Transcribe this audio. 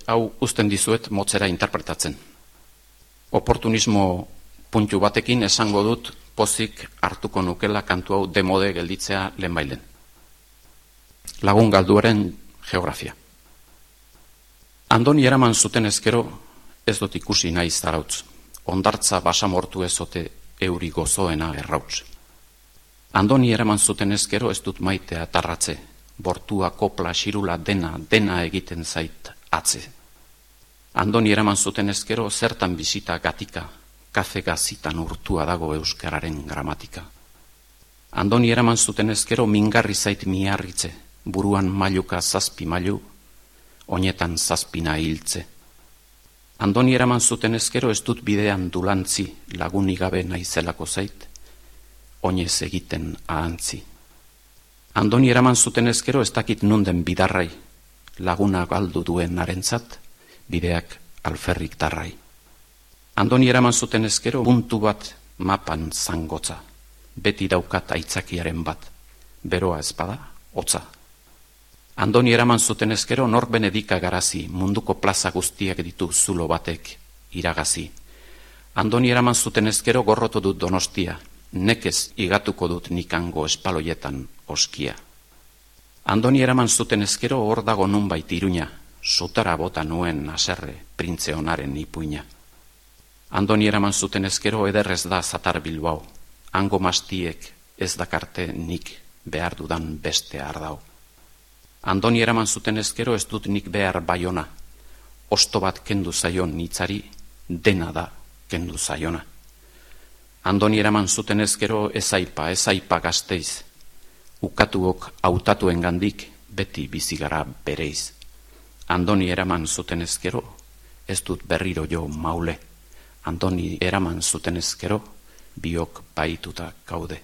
hau uzten dizuet motzera interpretatzen. Oportunismo puntu batekin esango dut pozik hartuko nukela kantu hau demode gelditzea lehenbailen. Lagun galduaren geografia. Andoni eraman zuten ezkero ez dut ikusi nahi zarautz. Ondartza basamortu ezote euri gozoena errautz. Andoni eraman zuten ezkero ez dut maitea tarratze. Bortua, kopla, xirula, dena egiten zait atze. Andoni eraman zuten ezkero zertan bisita gatika, kafe gazitan urtua dago euskararen gramatika. Andoni eraman zuten ezkero mingarri zait miarritze, buruan mailuka zazpi mailu, oinetan zazpina hiltze. Andoni eraman zuten ezkero ez dut bidean dulantzi, lagunik gabe naizelako zait, oinez egiten ahantzi. Andoni eraman zuten ezkero ez dakit nunden bidarrai, laguna galdu duen arentzat, bideak alferrik darrai. Andoni eraman zuten ezkero puntu bat mapan zangotza, beti daukat aitzakiaren bat, beroa ezpada, hotza. Andoni eraman zuten ezkero nor benedika garazi, munduko plaza guztiak ditu zulo batek iragazi. Andoni eraman zuten ezkero gorrotu dut Donostia, nekez igatuko dut nikango espaloietan oskia. Andoni eraman zuten ezkero hor dago nunbait Iruña, sutara bota nuen haserre printze honaren ipuina. Andoni eraman zuten ezkero ederrez da Zatar Bilbao, hango mastiek ez dakarte nik behar dudan beste ardau. Andoni eraman zuten ezkero ez dut nik behar Baiona, osto bat kendu zaion hitzari dena da kendu zaiona. Andoni eraman zuten ezkero ez aipa Gasteiz, ukatuok hautatuen gandik beti bizigara bereiz. Andoni eraman zuten ezkero ez dut berriro jo maule, Andoni eraman zuten ezkero biok baituta gaude.